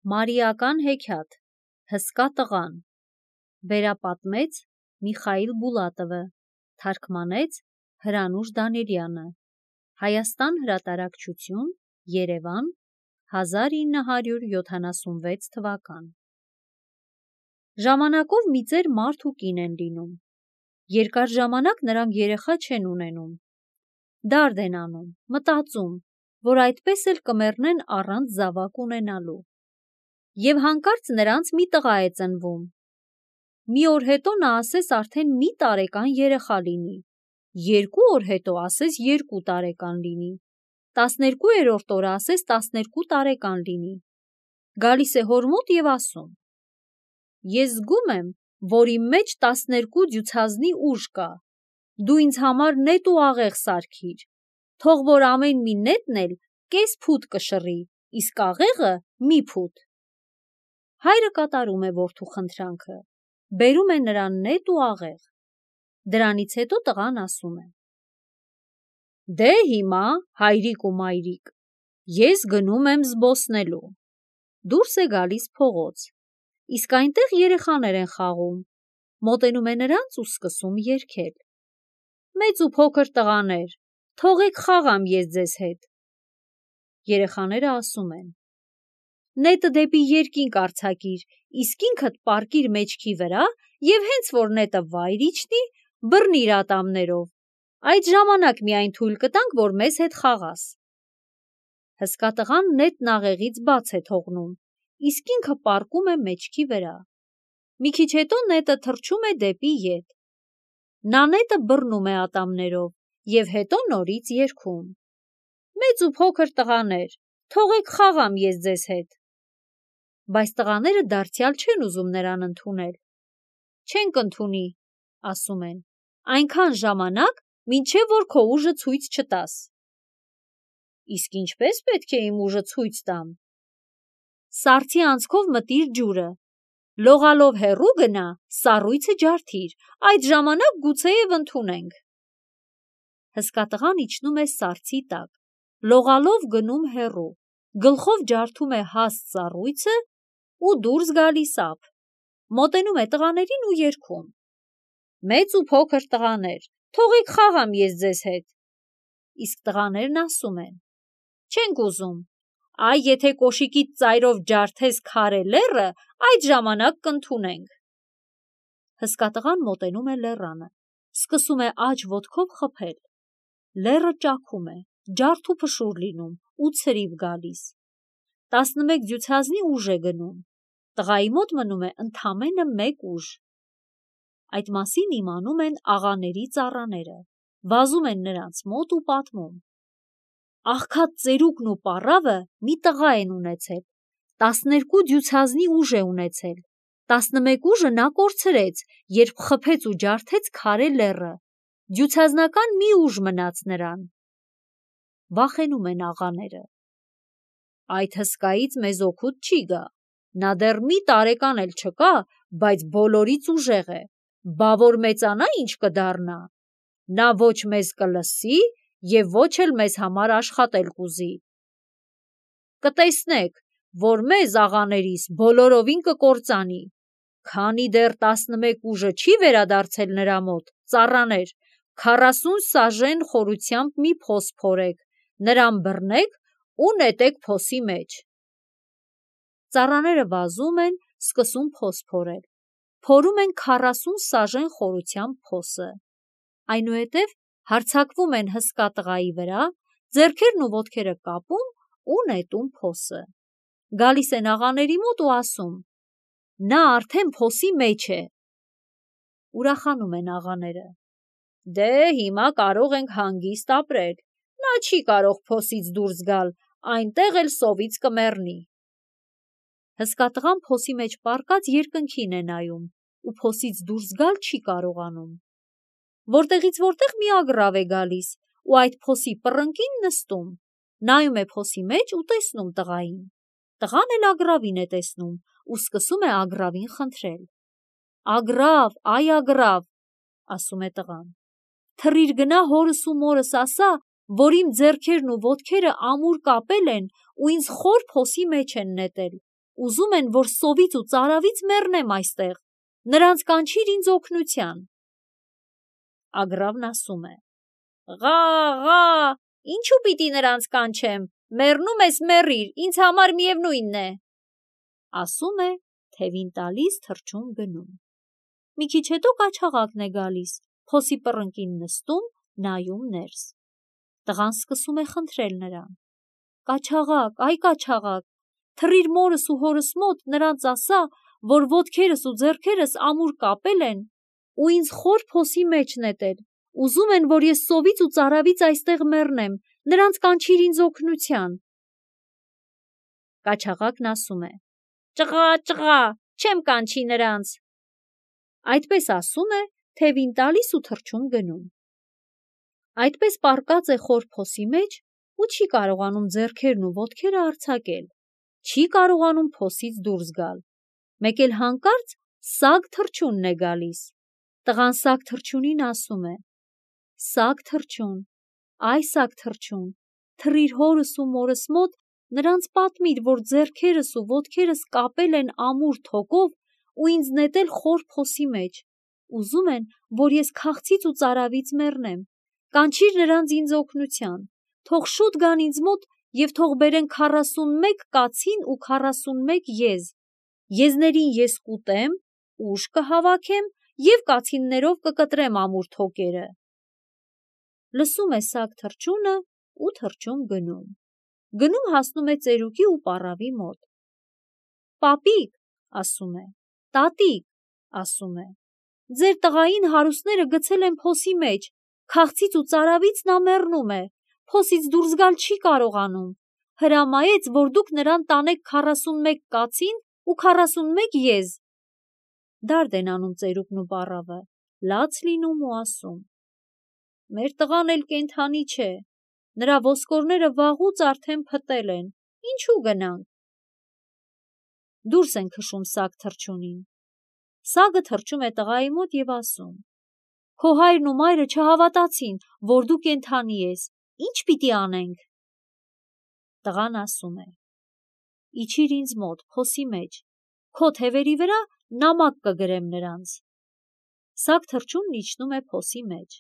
Մարիական հեքիաթ, հսկա տղան, վերապատմեց Միխայիլ Բուլատովը, թարգմանեց Հրանուշ Դանիելյանը, Հայաստան հրատարակչություն, Երևան, 1976 թվական։ Ժամանակով մի ծեր մարդ ու կին են լինում։ Երկար ժամանակ նրանք երեխա չեն ունենում։ Դարդ են անում, մտածում, որ այդպես էլ կմեռնեն առանց զավակ ունենալու։ Եվ հանկարծ նրանց մի տղա է ծնվում։ Մի օր հետո նա ասես արդեն մի տարեկան երեխա լինի, 2 օր հետո ասես 2 տարեկան լինի, 12-րդ օրը ասես 12 տարեկան լինի։ Գալիս է հոր մոտ և ասում. ես զգում եմ, որ իմ մեջ 12 դյուցազնի ուժ կա, դու ինձ համար նետ ու աղեղ սարքիր, թող որ ամեն մի նետն էլ կես փութ կշռի, իսկ աղեղը մի փութ։ Հայրը կատարում է որդու խնդրանքը, բերում է նրան նետ ու աղեղ։ Դրանից հետո տղան ասում է. դե հիմա, հայրիկ ու մայրիկ, ես գնում եմ զբոսնելու։ Դուրս է գալիս փողոց, իսկ այնտեղ երեխաներ են խաղում, մոտենում է նրանց ու սկսում երգել. մեծ ու փոքր տղաներ, թողեք խաղամ ես ձեզ հետ։ Երեխաները ասում են. նետը դեպի երկինք արձակիր, իսկ ինքդ պառկիր մեջքի վրա և հենց որ նետը վայր իջնի, բռնիր ատամներով, այդ ժամանակ միայն թույլ կտանք, որ մեզ հետ խաղաս։ Հսկա տղան նետն աղեղից բաց է թողնում, իսկ ինքը պառկում է մեջքի վրա։ Մի քիչ հետո նետը թռչում է դեպի ետ։ Նա նետը բռնում է ատամներով և հետո նորից երգում. մեծ ու փոքր տղաներ, թողեք խաղամ ես ձեզ հետ։ Բայց տղաները դարձյալ չեն ուզում նրան ընդունել։ Չենք ընդունի, ասում են, այնքան ժամանակ, մինչև որ քո ուժը ցույց չտաս։ Իսկ ինչպես պետք է իմ ուժը ցույց տամ։ Սառցի անցքով մտիր ջուրը, լողալով հեռու գնա, սառույցը ջարդիր, այդ ժամանակ գուցեև ընդունենք։ Հսկա տղան իջնում է սառցի տակ, լողալով գնում հեռու, գլխով ջարդում է հաստ սառույցը ու դուրս գալիս ափ, մոտենում է տղաներին ու երգում. մեծ ու փոքր տղաներ, թողեք խաղամ ես ձեզ հետ։ Իսկ տղաներն ասում են. չենք ուզում, այ եթե կոշիկիդ ծայրով ջարդես քարե լեռը, այդ ժամանակ կընդունենք։ Հսկա տղան մոտենում է լեռանը, սկսում է աջ ոտքով խփել։ Լեռը ճաքում է, ջարդ ու փշուր լինում ու ցրիվ գալիս։ 11 դյուցազնի ուժ է գնում, տղայի մոտ մնում է ընդամենը 1 ուժ։ Այդ մասին իմանում են աղաների ծառաները, վազում են նրանց մոտ ու պատմում. աղքատ ծերուկն ու պառավը մի տղա են ունեցել, 12 դյուցազնի ուժ է ունեցել, 11 ուժը նա կորցրեց, երբ խփեց ու ջարդեց քարե լեռը, դյուցազնական մի ուժ մնաց նրան։ Վախենում են աղաները. այդ հսկայից մեզ օգուտ չի գա, նա դեռ մի տարեկան էլ չկա, բայց բոլորից ուժեղ է, բա որ մեծանա ինչ կդառնա, նա ոչ մեզ կլսի և ոչ էլ մեզ համար աշխատել կուզի։ Կտեսնեք, որ մեզ աղաներիս բոլորովին կկործանի, քանի դեռ 11 ուժը չի վերադարձել նրա մոտ, ծառաներ, 40 սաժեն խորությամբ մի փոս փորեք, նրան բռնեք ու նետեք փոսի մեջ։ Ծառաները վազում են, սկսում փոս փորել, փորում են 40 սաժեն խորությամբ փոսը, այնուհետև հարձակվում են հսկա տղայի վրա, ձեռքերն ու ոտքերը կապում ու նետում փոսը։ Գալիս են աղաների մոտ ու ասում. նա արդեն փոսի մեջ է։ Ուրախանում են աղաները. դե հիմա կարող ենք հանգիստ ապրել, նա չի կարող փոսից դուրս գալ, այնտեղ էլ սովից կմեռնի։ Հսկա տղան փոսի մեջ պառկած երկնքին է նայում ու փոսից դուրս գալ չի կարողանում։ Որտեղից որտեղ մի ագռավ է գալիս ու այդ փոսի պռնկին նստում, նայում է փոսի մեջ ու տեսնում տղային։ Տղան էլ ագռավին է տեսնում ու սկսում է ագռավին խնդրել. ագռավ, այ ագռավ, ասում է տղան, թռիր գնա հորս ու մորս ասա, որ իմ ձեռքերն ու ոտքերը ամուր կապել են ու ինձ խոր փոսի մեջ են նետել ուզում են, որ սովից ու ծարավից մեռնեմ այստեղ, նրանց կանչիր ինձ օգնության։ Ագռավն ասում է. «Ղա, ղա, ինչու պիտի նրանց կանչեմ, մեռնում ես մեռիր, ինձ համար միևնույնն է»։ Ասում է, թևին տալիս, թռչուն գնում։ Մի քիչ հետո կաչաղակն է գալիս, փոսի պռնկին նստում, նայում ներս։ Տղան սկսում է խնդրել նրան. «Կաչաղակ, այ կաչաղակ, թռիր մորս ու հորս մոտ, նրանց ասա, որ ոտքերս ու ձեռքերս ամուր կապել են ու ինձ խոր փոսի մեջ նետել, ուզում են, որ ես սովից ու ծարավից այստեղ մեռնեմ, նրանց կանչիր ինձ օգնության»։ Կաչաղակն ասում է. «Ճղա, ճղա, չեմ կանչի նրանց»։ Այդպես ասում է, թևին տալիս ու թռչուն գնում։ Այդպես պառկած է խոր փոսի մեջ ու չի կարողանում ձեռքերն ու ոտքերը արձակել, չի կարողանում փոսից դուրս գալ։ Մեկ էլ հանկարծ սագ թռչունն է գալիս։ Տղան սագ թռչունին ասում է. «Սագ թռչուն, այ սագ թռչուն, թռիր հորս ու մորս մոտ, նրանց պատմիր, որ ձեռքերս ու ոտքերս կապել են ամուր թոկով ու ինձ նետել խոր փոսի մեջ, ուզում են, որ ես քաղցից ու ծարավից մեռնեմ, կանչիր նրանց ինձ օգնության, թող շուտ գան ինձ մոտ և թող բերեն 41 կացին ու 41 եզ, եզներին ես կուտեմ, ուժ կհավաքեմ և կացիններով կկտրեմ ամուր թոկերը»։ Լսում է սագ թռչունը ու թռչուն գնում։ Գնում հասնում է ծերուկի ու պառավի մոտ։ «Պապիկ», ասում է, «տատիկ», ասում է, «ձեր տղային հարուստները գցել են փոսի մեջ, քաղցից ու ծարավից նա մեռնում է, փոսից դուրս գալ չի կարողանում, հրամայեց, որ դուք նրան տանեք 41 կացին ու 41 եզ»։ Դարդ են անում ծերուկն ու պառավը, լաց լինում ու ասում. «Մեր տղան էլ կենդանի չէ, նրա ոսկորները վաղուց արդեն փտել են, ինչու գնանք»։ Դուրս են քշում սագ թռչունին։ Սագը թռչում է տղայի մոտ և ասում. «Քո հայրն ու մայրը չհավատացին, որ դու կենդանի ես, ի՞նչ պիտի անենք»։ Տղան ասում է. «Իջիր ինձ մոտ փոսի մեջ, քո թևերի վրա նամակ կգրեմ նրանց»։ Սագ թռչունն իջնում է փոսի մեջ։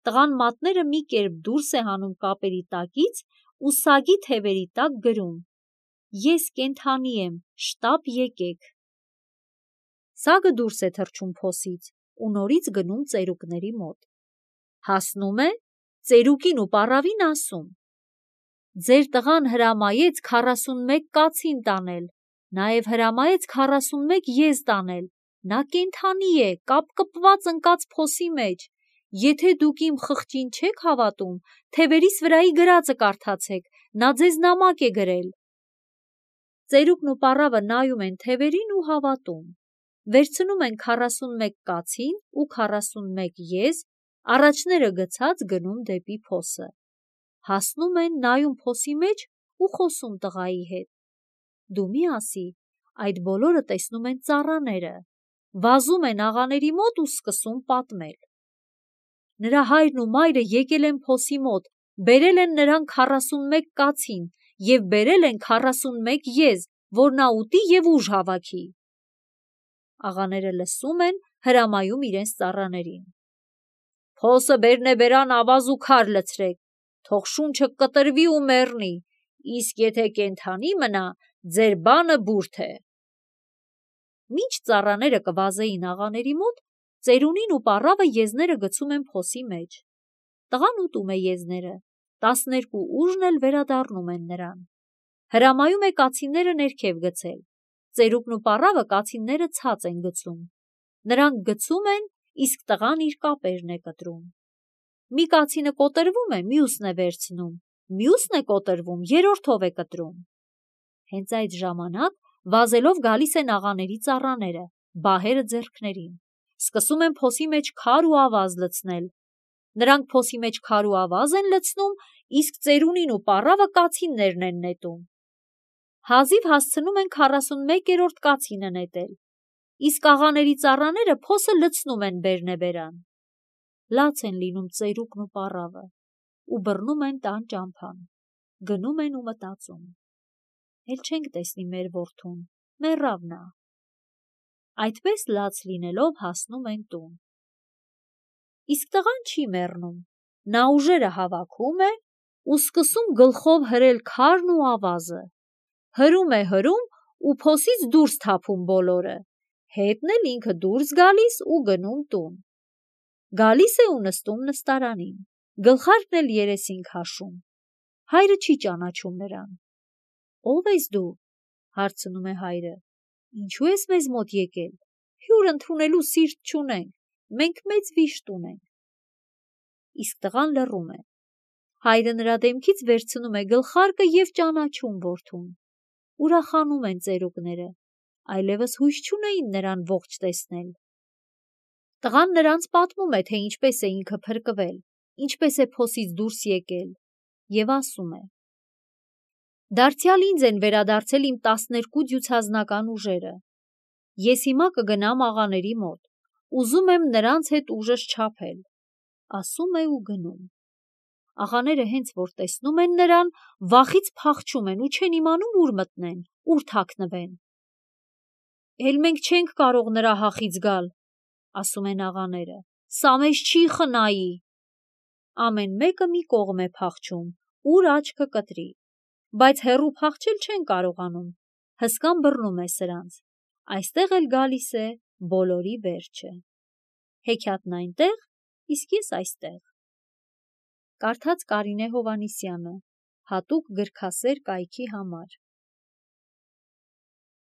Տղան մատները մի կերպ դուրս է հանում կապերի տակից ու սագի թևերի տակ գրում. «Ես կենդանի եմ, շտապ եկեք»։ Սագը դուրս է թռչում փոսից ու նորից գնում ծերուկների մոտ։ Հասնում է, ծերուկին ու պառավին ասում. «Ձեր տղան հրամայեց 41 կացին տանել, նաև հրամայեց 41 եզ տանել, նա կենդանի է, կապկպված ընկած փոսի մեջ, եթե դուք իմ խղճին չեք հավատում, թևերիս վրայի գրածը կարդացեք, նա ձեզ նամակ է գրել»։ Ծերուկն ու պառավը նայում են թևերին ու հավատում, վերցնում են 41 կացին ու 41 եզ, առաջները գցած գնում դեպի փոսը։ Հասնում են, նայում փոսի մեջ ու խոսում տղայի հետ. «Դու մի ասի, այդ բոլորը տեսնում են ծառաները, վազում են աղաների մոտ ու սկսում պատմել. նրա հայրն ու մայրը եկել են փոսի մոտ, բերել են նրան 41 կացին և բերել են 41 եզ, որ նա ուտի և ուժ հավաքի»։ Աղաները լսում են, հրամայում իրենց ծառաներին. «Փոսը բերնեբերան ավազ ու քար լցրեք, թող շունչը կտրվի ու մեռնի, իսկ եթե կենդանի մնա, ձեր բանը բուրդ է»։ Մինչ ծառաները կվազեին աղաների մոտ, ծերունին ու պառավը եզները գցում են փոսի մեջ։ Տղան ուտում է եզները, 12 ուժն էլ վերադառնում են նրան։ Հրամայում է կացինները ներքև գցել։ Ծերուկն ու պառավը կացինները ցած են գցում։ Նրանք գցում են, իսկ տղան իր կապերն է կտրում։ Մի կացինը կոտրվում է, մյուսն է վերցնում, մյուսն է կոտրվում, երրորդով է կտրում։ Հենց այդ ժամանակ վազելով գալիս են աղաների ծառաները, բահերը ձեռքներին, սկսում են փոսի մեջ քար ու ավազ լցնել։ Նրանք փոսի մեջ քար ու ավազ են լցնում, իսկ ծերունին ու պառավը կացիններն են նետում։ Հազիվ հասցնում են 41-րդ կացինը նետել, իսկ աղաների ծառաները փոսը լցնում են բերնեբերան։ Լաց են լինում ծերուկն ու պառավը ու բռնում են տան ճամփան, գնում են ու մտածում. «Էլ չենք տեսնի մեր որդուն, մեռավ նա։ Այդպես լաց լինելով հասնում են տուն։ Իսկ տղան չի մեռնում, նա ուժերը հավաքում է ու սկսում գլխով հրել քարն ու ավազը։ Հրում է ու փոսից դուրս թափում բոլորը, հետն էլ ինքը դուրս գալիս ու գնում տուն։ Գալիս է ու նստում նստարանին, գլխարկն էլ երեսին քաշում։ Հայրը չի ճանաչում նրան։ Ո՞վ ես դու, հարցնում է հայրը, ինչու ես մեզ մոտ եկել, հյուր ընդունելու սիրտ չունենք, մենք մեծ վիշտ ունենք։ Իսկ տղան լռում է։ Հայրը նրա դեմքից վերցնում է գլխարկը և ճանաչում որդուն։ Ուրախանում են ծերուկները, այլևս հույս չունեին նրան ողջ տեսնել։ Տղան նրանց պատմում է, թե ինչպես է ինքը փրկվել, ինչպես է փոսից դուրս եկել, և ասում է. «Դարձյալ ինձ են վերադարձել իմ 12 դյուցազնական ուժերը։ Ես հիմա կգնամ աղաների մոտ, ուզում եմ նրանց հետ ուժս չափել», ասում է ու գնում։ Աղաները հենց որ տեսնում են նրան, վախից փախչում են ու չեն իմանում ուր մտնեն, ուր թաքնվեն։ «Էլ մենք չենք կարող նրա հախից գալ», ասում են աղաները, «սա մեզ չի խնայի»։ Ամեն մեկը մի կողմ է փախչում, ուր աչքը կտրի, բայց հեռու փախչել չեն կարողանում, հսկան բռնում է սրանց, այստեղ էլ գալիս է բոլորի վերջը։ Հեքիաթն այնտեղ, իսկ ես այստեղ։ Կարդաց Կարինե Հովհաննիսյանը, հատուկ գրքասեր կայքի համար։